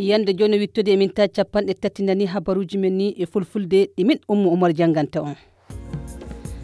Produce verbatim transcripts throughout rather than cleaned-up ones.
Yande jooni wittude e min ta capanɗe tati nani habaruuji men ni e fulfulde ɗi min Ummu Umar jannganta on.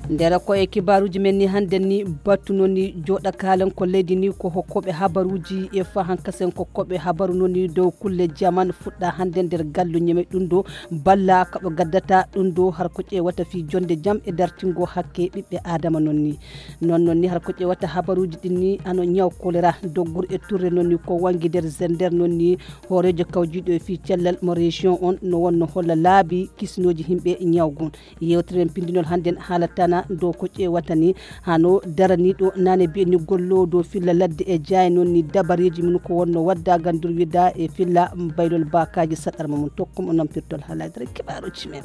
Nder ko e kibaaruuji men ni hannden ni batu noon ni jooɗa kaalen ko leydi ni ko hokkooɓe habaruuji e fahankasen ko koɓe habaru noon ni dow kulle jaman fuɗɗa hannden nder gallu ñeme ɗum ɗo balla kaɓe gaddata ɗum ɗo har ko ƴeewata fii jonde jam e dartingo hakke ɓiɓɓe aadama noon ni. Noon noon ni har ko ƴeewata habaruuji ɗin ni hano ñaw kolera doggur e turre noon ni ko wangi nder zender noon ni hooreejo kawjiiɗo e fii cellal mo région on no wonno holla laabi kisnooji himɓe ñawgun. Yewtere men pindinol hannden haalatana dow ko ƴeewata ni hano daraniiɗo nane bi'e ni golloowo dow filla ladde e jaaye noon ni dabareeji mum ko wonno wadda gandur wida e filla baylol baakaaji saɗarma mum tokkum o nampirtol haalaaji dara kibaaruuji men.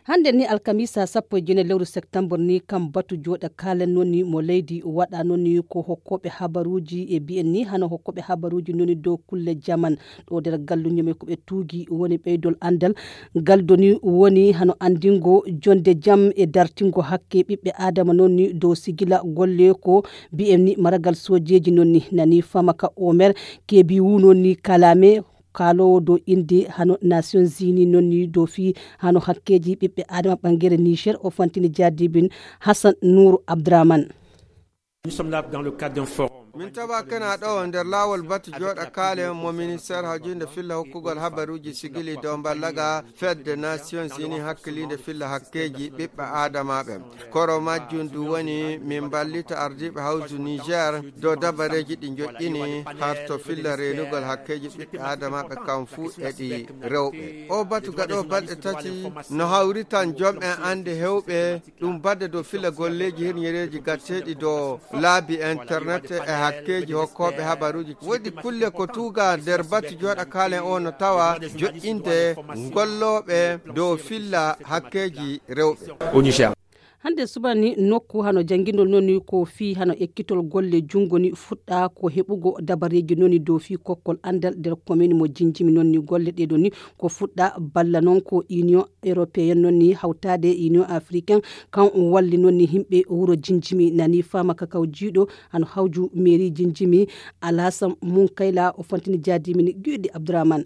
Hannde ni alkamisa sappo e jeenayi lewru septembre ni kam batu jooɗa kaalen noon ni mo leydi waɗa noon ni ko hokkooɓe habaruuji e bi'en ni hano hokkooɓe habaruuji noon ni dow kulle jaman ɗo nder galluño men ko ɓe tuugi woni ɓeydol anndal. Galdo ni woni hano anndingo jonde jam e dartingo hakke ɓiɓɓe aadama noon ni dow sigila golle ko bi'en ni maragal soojeeji noon ni nani famaka omer kebi wu noon ni kalame kaalowo dow innde hano nations unis noon ni dow fii hano hakkeeji ɓiɓɓe aadama ɓangere niger o fantini jaadibin hassan nouru abdraman. Min tawa kena ɗo nder laawol batu jooɗa kaale mo ministeer hawjinde filla hokkugol habaruuji sigili dow mballaga fedde nations unis hakkiliinde filla hakkeeji ɓiɓɓe aadamaaɓe. Koro majjum ndu woni min mballita ardiiɓe hawju niger dow dabareeji ɗi njoƴƴini harto filla reenugol hakkeeji ɓiɓɓe aadamaaɓe kam fuu e ɗi rewɓe. O batu gaɗo balɗe tati no hawritan jom'en annde heewɓe ɗum badde dow filla golleeji hirñereeji gatteeɗi dow laabi internet e hakkeeji hokkooɓe habaruuji woodi kulle ko tuuga nder batu jooɗa kaalen o no tawa joƴƴinde gollooɓe dow filla hakkeeji rewɓe. Hannde subani nokku hano janngindol noon ni ko fii hano ekkitol golle junngo ni fuɗɗa ko heɓugo dabareeji noon ni dow fii kokkol anndal nder komin mo jinjimi noon ni golle ɗee ɗoo ni ko fuɗɗa balla noon ko union européenne noon ni hawtaade union africaine kan walli noon ni yimɓe wuro jinjimi nani faama kakaw jiiɗo hano hawju mairie jinjimi alhasan munkayla o fantini jaadimi ni guyɗi abdourahmane.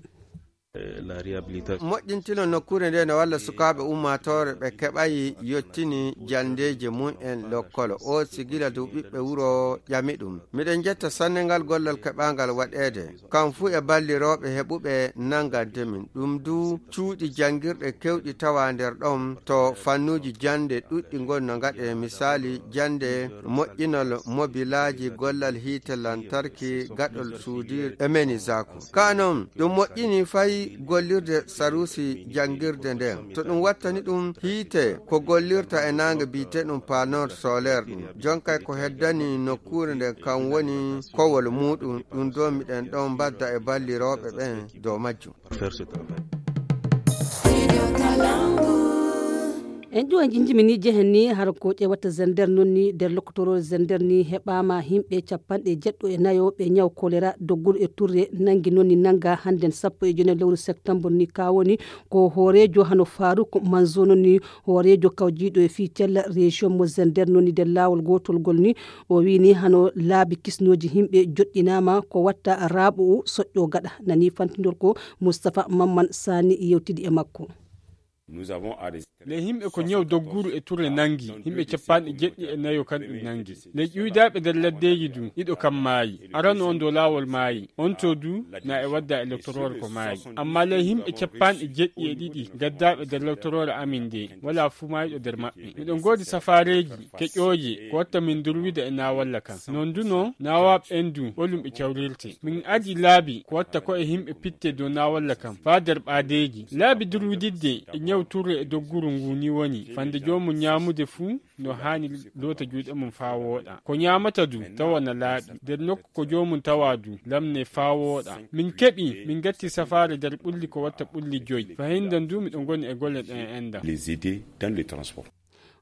Moƴƴintino nokkuure nde no walla sukaaɓe ummaatoore ɓe keɓayi yottini janndeeji mum en lokkolo o sigila dow ɓiɓɓe wuro ƴami ɗum. Miɗen njetta sanne ngal gollal keɓaangal waɗeede kam fuu e ballirooɓe heɓuɓe nanngante min ɗum du cuuɗi janngirɗe kewɗi tawa nder ɗon to fannuuji jannde ɗuɗɗi ngon no ngaɗe misaali jannde moƴƴinol mobilaaji gollal hiite lantarki gaɗol suudir e meni zaku ka non ɗum moƴƴini fay gollirde sarusi janngirde nden to ɗum wattani ɗum hiite ko gollirta e naange biyte ɗum panor solaire ɗum jonkay ko heddani nokkuure nden kan woni kowol muɗum ɗum do miɗen ɗon mbadda e ballirooɓe ɓen dow majjum. En ƴuwa jinjimi ni jehen ni har ko ƴewata zender noon ni nder lokotoro zender ni heɓama himɓe capanɗe jeɗɗo e nayo ɓe ñaw kolera dogguɗo e turre nangi noon ni nanga hannden sappo e joyi lewru septembre ni ka woni ko hoorejo hano faruk manzo noon ni hoorejo kawjiɗo e fii tella région mo zender noon ni nder lawol gotol ngol ni o wini hano laabi kisnoji himɓe joɗɗinama ko watta raaɓo o soƴƴo gaɗa nani fantindol ko moustapha mamman sani yewtidi e makko. Ley himɓe ko ñaw dogguru e turre nangi himɓe capanɗe jeɗɗi e nayo kan ɗum nangi. Ley ƴuydaaɓe nder laddeeji du ɗiɗo kan maayi. Arano on dow laawol maayi on to du na e wadda e loktoroore ko maayi. Amma ley himɓe capanɗe jeɗɗi e ɗiɗi gaddaaɓe nder loktoroore amin nde walaa fuu maayɗo nder maɓɓe. Miɗo ngoodi safaareeji keƴooje ko watta min durwida e naawalla kan. Non du no naawaaɓe ɓen du ɓolum ɓe cawrirte. Min adi laabi ko watta ko e himɓe pitte dow naawalla kan faa nder ɓaadeeji. Laabi durwididde e ñaw turre e dogguru ngu ni woni fande joomum ñaamude fuu no haani loota juuɗe mum faa wooɗa. Ko ñaamata du tawa na laaɓi. Nder nokku ko joomum tawa du lamne faa wooɗa. Min keɓi min ngatti safaare nder ɓulli ko watta ɓulli joy. Fahinda ndu miɗo ngoni e golle ɗen enda. Les aider dans le transport.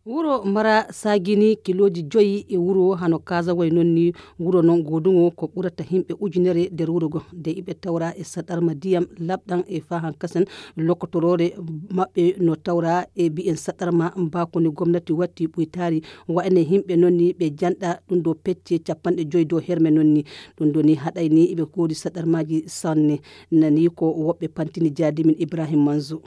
Wuro Mara saagini kilooji joyi e wuro hano Kaazaway non ni. Wuro non gooduŋo ko ɓurata himɓe ujunere nder wuro go. Nde iɓe tawra e saɗarma diyam laɓɗan e faa hankasen lokotoroore maɓɓe no tawra e bi'en saɗarma mbaako ni gomnati watti ɓuytaari. Wa'ene himɓe non ni ɓe janɗa ɗum dow pecce capanɗe joyi dow herme non ni. Ɗum ɗo ni haɗay ni iɓe koodi saɗarmaaji sanne. Nani ko woɓɓe pantini jaadimin Ibrahim Manzo.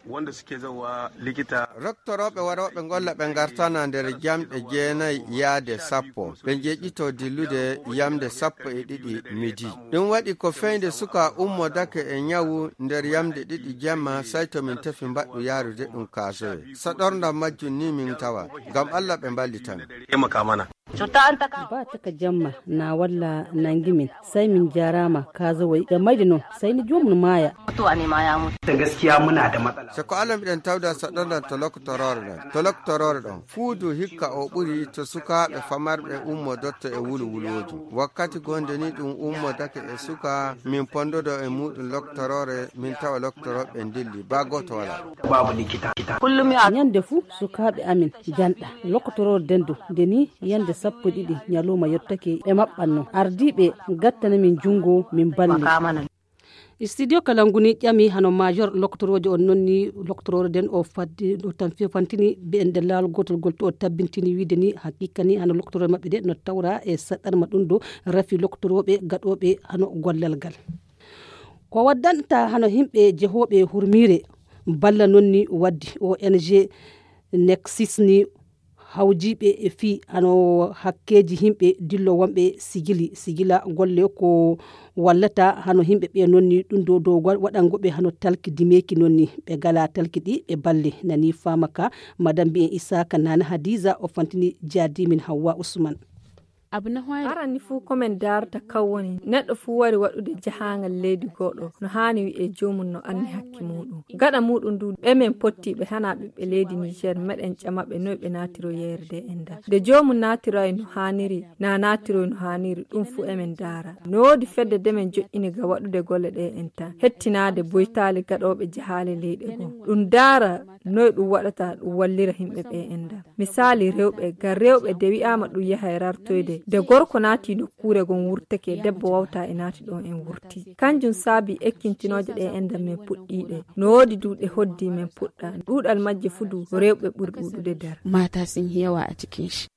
Wanda suke zawa likita. Roktorooɓe warooɓe ngolla ɓe ngartana nder jamɗe jeenayi yaade sappo. Ɓe njeƴƴito dillude yamde sappo e ɗiɗi midi. Ɗum waɗi ko feyde suka ummo dake e ñawu nder yamde ɗiɗi jemma, say to min tefi mbaɗɗu yaarude ɗum kaasoye. So ɗorndam majjum ni min tawa. Ngam Allah ɓe mballitan. Ba taka jamma na walla nangi min, sai min jarama kaza wai da mai da non sai ni jomun maya. Sai ko Allah miɗen tawda saɗordan to lokotoroore ɗon. To lokotoroore ɗon fuudu hikka o ɓuri to sukaaɓe famarɓe ummo dotto e wulu wulwooju. Wakkati gonde ni ɗum ummo dake e suka min pondodo e muɗum lokotoroore min tawa lokotoroɓe ndilli ba goto wala. Babu likita. Kullum ya. Nyande fu sukaaɓe amin janɗa lokotoroore den do nde ni yande sappo e ɗiɗi ñalawma yottake ɓe maɓɓanno. Ardiiɓe gattana min junngo min balle. Studio Kalangu ni ƴami hano major loktoroojo on non ni loktoroojo den o faddi o tan fantini ɓe nder laawol gootol gol to o tabbintini wiide ni haqiqa ni hano loktoroojo maɓɓe de no tawra e saɗarma ɗum ɗo rafi loktorooɓe gaɗooɓe hano gollal ngal. Ko waddanta hano himɓe jehooɓe hurmiire balla non ni waddi O N G Nexis ni hawjiiɓe e fii hano hakkeeji himɓe dillo wonɓe sigili sigila golle ko wallata hano himɓe ɓe nonni ɗum dow dow waɗango ɓe hano talki dimeeki nonni ɓe gala talki ɗi ɓe balle nani faama ka madame mbiyen isaka nana hadiza o fantini jaadimin hawwa usman. Abu na hwari arani fuu ko men daarata kan woni neɗɗo fuu wari waɗude jahaangal leydi goɗo no haani wi'e joomum no anni hakke muuɗum gaɗa muuɗum ndu ɓe men pottiiɓe hana ɓiɓɓe leydi niger meɗen ƴama ɓe noy ɓe naatiro yeere de enda nde joomum naatiroy no haaniri na naatiroy no haaniri ɗum fuu emen daara no woodi fedde de men joƴƴini ga waɗude golle ɗe enta hettinaade boytaali gaɗooɓe jahaale leyɗe goo ɗum daara noy ɗum waɗata ɗum wallira himɓe ɓe enda misaali rewɓe ngam rewɓe de wi'aama ɗum yaha e rartoyde nde gorko naati nokkuure gon wurtake debbo wawta e naati ɗon en wurti kanjum saabi ekkintinooje ɗe enda men puɗɗiiɗe no woodi duuɗe hoddi men puɗɗa ɗuuɗal majje fudu rewɓe ɓuri ɗuuɗude nder mata sin hewa a cikin shi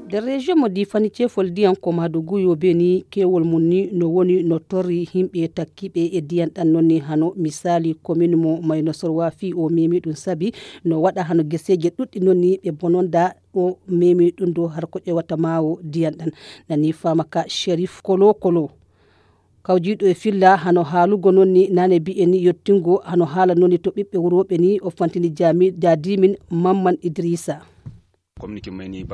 nder région mo difani cefol diyan ko maduguyo beni kewol mum ni no woni no torri himɓe takkiɓe e diyan ɗan non ni hano misali commune mo mayno sorwa fi o memi ɗum sabi no waɗa hano geseje ɗuɗɗi non ni ɓe bononda o memi ɗum do har ko ƴewata mawo diyan ɗan nani fama ka sherif kolo kolo kawjiiɗo e filla hano haalugo non ni nane bi'e ni yottingo hano haala non ni to ɓiɓɓe wurooɓe ni o fantini jami jadimin mamman idrisa.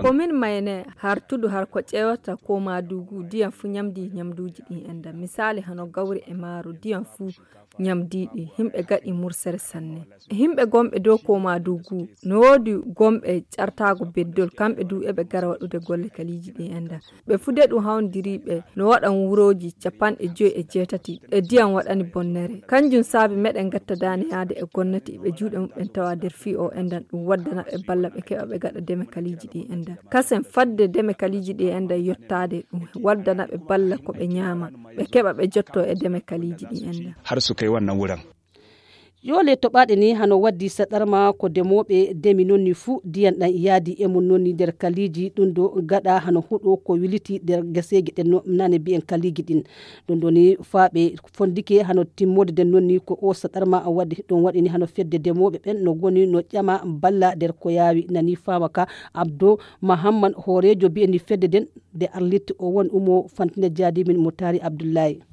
Komin mayne hartudu har ko ƴewata ko madugu diyan fu ñamdi ñamduji ɗin enda misali hano gawri e maaro diyan fu ñamdiɗi himɓe gaɗi mursere sanne himɓe gomɓe dow ko madugu no woodi gomɓe ƴartago beddol kamɓe du eɓe gara waɗude golle kaliji ɗin enda ɓe fude ɗum hawndiriɓe no waɗan wuroji capanɗe joyi e jeetati e diyan waɗani bonnere kanjum saabi meɗen gatta dane yaade e gonnati ɓe juuɗe muɓɓen tawa nder fii o endan ɗum waddana ɓe balla ɓe keɓa ɓe gaɗa deme kaliji ɗi endan kasen fadde deme kaliji ɗi endan yottade ɗum waddana ɓe balla ko ɓe ñaama ɓe keɓa ɓe jotto e deme kaliji ɗi endan. Har su kai wannan wurin. Yoole toɓaaɗe ni hano waddi saɗarma ko demooɓe demi nonni fuu diyan ɗan yaadi e mum nonni nder kaliiji ɗum do gaɗa hano huɗo ko wiliti nder geseeji ɗen no nane mbiyen kaliiji ɗin ɗum ɗo ni faaɓe fondike hano timmode nden nonni ko o saɗarma waddi ɗum waɗi ni hano fedde demooɓe ɓen no goni no ƴama balla nder ko yaawi nani faama ka abdo mahamman hooreejo mbiyen ni fedde nden nde arlitte o won umo fantine jaadimin mo taari abdullahi.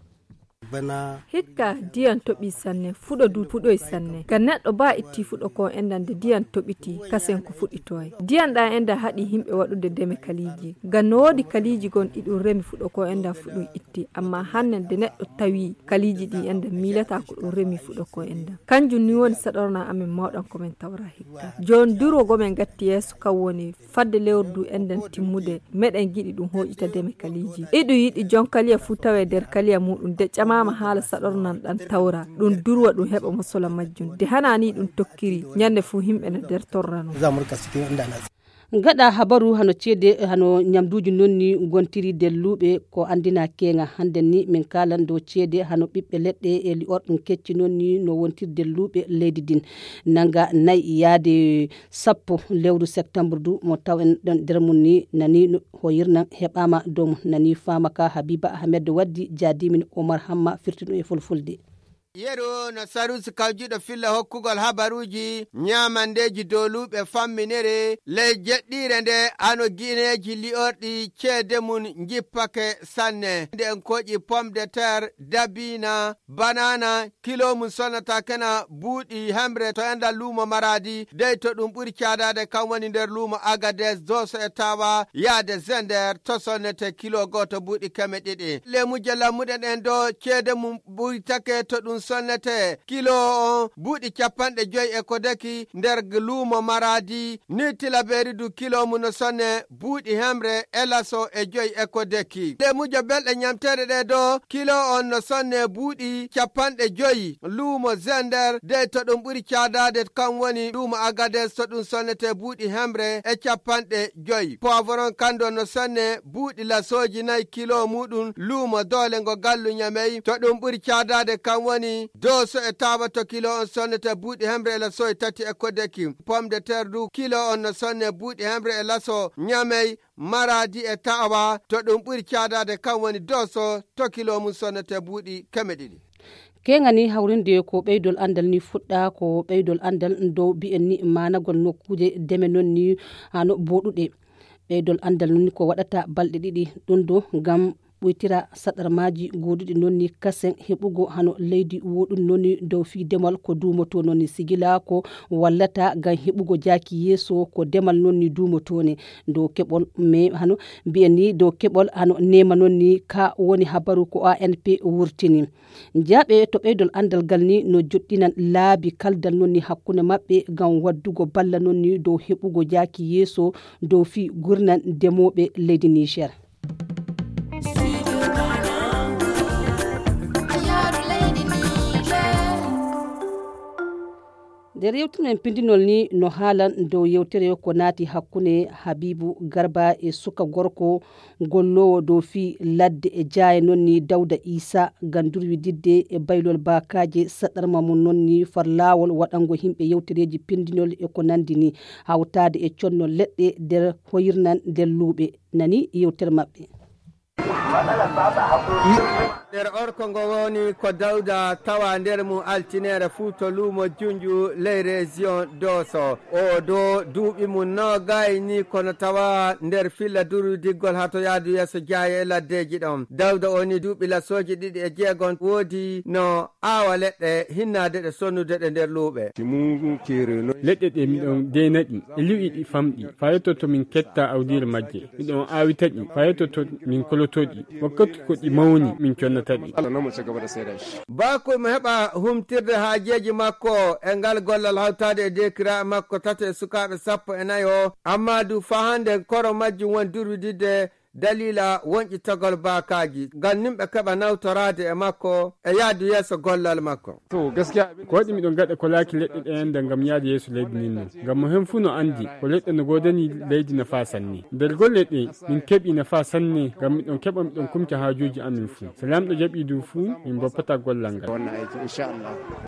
Hikka diyan toɓi sanne fuɗo du fuɗoy sanne ga neɗɗo ba itti fuɗo ko endan de diyan toɓiti kasen ko fuɗitoy diyan ɗa endan haɗi himɓe waɗude deme kaliiji ga no woodi kaliiji gon ɗi ɗum remi fuɗo ko endan fuɗum itti amma hannen de neɗɗo tawi kaliiji ɗi endan miilata ko ɗum remi fuɗo ko endan kanjum ni woni saɗorna amen mawɗan ko men tawra hikka jon duro gomen gatti yeeso kan woni fadde lewru du enɗen timmude meɗen giɗi ɗum hoƴita deme kaliiji iɗum yiɗi jon kaliya fuu tawe nder kaliya muɗum de ƴama Ama haala saɗornan ɗan tawra ɗum durwa ɗum heɓa mosola majjum de hana ni ɗum tokkiri. Ñande fof yimɓe no nder torrano. Gaɗa habaru hano ceede hano ñamduuji noon ni ngontiri delluuɓe ko anndina keeŋa hannden ni min kaalan dow ceede hano ɓiɓɓe leɗɗe e li'orɗum kecci noon ni no wontiri delluuɓe leydi ndin. Nanga nayi yaade sappo lewru septembre du mo taw en ɗon nder mum ni nani no hoyirnan heɓaama dow mum nani faama ka Habiba Ahmed Waddi jaadimin Omar Hamma firti ɗum e fulfulde. Yeru no sarusi kawjuɗo filla hokkugol habaruuji ñaamandeeji dowluuɓe famminere ley jeɗɗiire nde ano gineeji li'orɗi ceede mum njippake sanne. Nde en koƴi pomme de terre, dabiina, banana, kilo mum sonnata kena buuɗi hemre to enɗan luumo Maraadi, dey to ɗum ɓuri caadaade kam woni nder luumo Agades, Dooso e Taawa, yaade Zender to sonnete kilo gooto buuɗi keme ɗiɗi. Leemuje lammuɗe ɗen do ceede mum ɓuytake to ɗum sonnete kilo on buuɗi capanɗe joyi e ko deki nder luumo Maraadi, ni tilabeeri du kilo mum no sonne buuɗi hemre e laso e joyi e ko deki. Leemuje belɗe ñamteeɗe ɗe do kilo on no sonne buuɗi capanɗe joyi luumo Zender, dey to ɗum ɓuri caadaade kam woni luumo Agades to ɗum sonnete buuɗi hemre e capanɗe joyi. Poivron kando no sonne buuɗi lasooji nayi kilo muɗum luumo Doole ngo gallu Ñamey to ɗum ɓuri caadaade kam woni Dooso e Taawa to kilo on sonnete buuɗi hemre e lasooji tati e ko deki. Pomme de terre du kilo on no sonne buuɗi hemre e laso Ñamey, Maraadi e Taawa to ɗum ɓuri caadaade kam woni Dooso to kilo mum sonnete buuɗi keme ɗiɗi. Keŋani hawrinde ko ɓeydol anndal ni fuɗɗa ko ɓeydol anndal dow mbiyen ni maanagol nokkuuje deme noon ni hano booɗuɗe. Ɓeydol anndal noon ni ko waɗata balɗe ɗiɗi ɗum do ngam ɓuytira saɗarmaaji gooduɗi noon ni kasen heɓugo hano leydi woɗum noon ni dow fii demal ko duumoto noon ni sigila ko wallata ngam heɓugo jaaki yeeso ko demal noon ni duumoto ne dow keɓol me hano mbiyen ni dow keɓol hano nema noon ni ka woni habaru ko A N P wurtini. Njaaɓe to ɓeydol anndal ngal ni no joɗɗinan laabi kaldal noon ni hakkunde maɓɓe ngam waddugo balla noon ni dow heɓugo jaaki yeeso dow fii gurnan demooɓe leydi Niger. Nder yewtere men pindinol ni no haalan dow yewtere ko naati hakkunde Habibu Garba e suka gorko golloowo dow fii ladde e jaaye noon ni Dawda Isa ngam durwididde e baylol baakaaje saɗarma mum noon ni far laawol waɗango yimɓe yewtereeji pindinol e ko nanndi ni hawtaade e conno leɗɗe nder hoyirnan nder luuɓe nani yewtere maɓɓe. Nder orko ngo woni ko Dawda tawa nder mum altineere fuu to luumo Junju ley reziyon Dooso. O do duuɓi mum noogay ni kono tawa nder filla durwidiggol haa to yaadu yeeso jaaye e laddeeji ɗon. Dawda o ni duuɓi lasooji ɗiɗi e jeegon woodi no aawa leɗɗe hinnaade ɗe sonnude ɗe nder luuɓe. Leɗɗe ɗe miɗon deena ɗi e liwi ɗi famɗi faa yetto to min ketta awdiire majje. Miɗon aawita ɗi faa yetto to min koloto ɗi. Wakkati ko ɗi mawni min connata ɗi. Baakoy mo heɓa humtirde haajeeji makko e ngal gollal hawtaade e deekiraaɓe makko tato e sukaaɓe sappo e nayo amma du faa hannde koro majjum woni durwididde daliila wonƴitagol baakaaji ngam nimɓe keɓa nawtoraade e makko e yahdu yeeso gollal makko. Ko waɗi miɗo gaɗa kolaaki leɗɗe ɗe enda ngam yahde yeeso leydi ndin non ngam mo hen fuu no anndi ko leɗɗe no goodani leydi nafaa sanne. Nder golle ɗe min keɓi nafaa sanne ngam miɗon keɓa miɗon kumca haajuuji amin fuu. So Laamɗo jaɓii du fuu min mboppataa gollal ngal.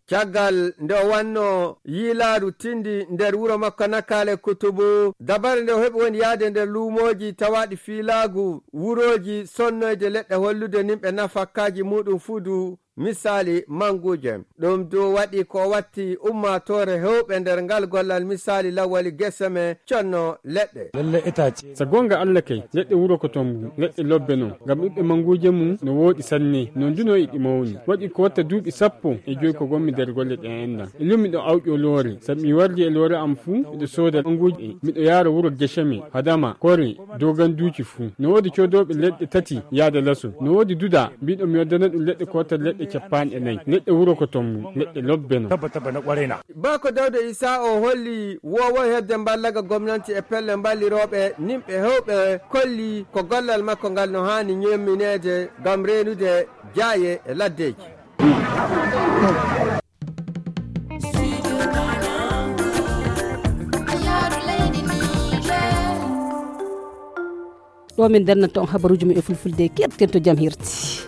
Caggal nde o wannoo yiilaaru tinndi nder wuro makko Nakaale Kutubu, dabare nde o heɓi woni yahde nder luumooji tawaaɗi fiilaagu wurooji sonnoyde leɗɗe hollude nimɓe nafakkaaji muuɗum fuu du misaali mannguuje. Ɗum du waɗi ko watti ummaatoore heewɓe nder ngal gollal misaali lawwali geseme conno leɗɗe. So goonga Alla kay, leɗɗe wuro ko toon mum, leɗɗe lobbe non, ngam ɓiɓɓe mannguuje mum no wooɗi sanne, non du no e ɗi mawni. Waɗi ko watta duuɓi sappo e joy ko ngonmi nder golle ɗe enɗan. E lum miɗo awƴo loore, sabu mi wardi e loore am fuu miɗo sooda mannguuje, miɗo yaara wuro Geseme, Hadama, Kore, Doganduuci fuu. No woodi coodooɓe leɗɗe tati yaade laso. No woodi Duda, mbiɗo mi waddana ɗum leɗɗe ko watta leɗɗe e capanɗe nayi. Neɗɗo wuro ko ton mum, neɗɗo lobbe non. Bako Dawda Isa o holli wowo heɓde mballaga gomnanti e pelle mballirooɓe nimɓe heewɓe kolli ko gollal makko ngal no haani ñemmineede ngam reenude jaaye e laddeeji. Ɗo min ndennanta on habaruuji mum e fulfulde, keɗoɗen to jam hirti.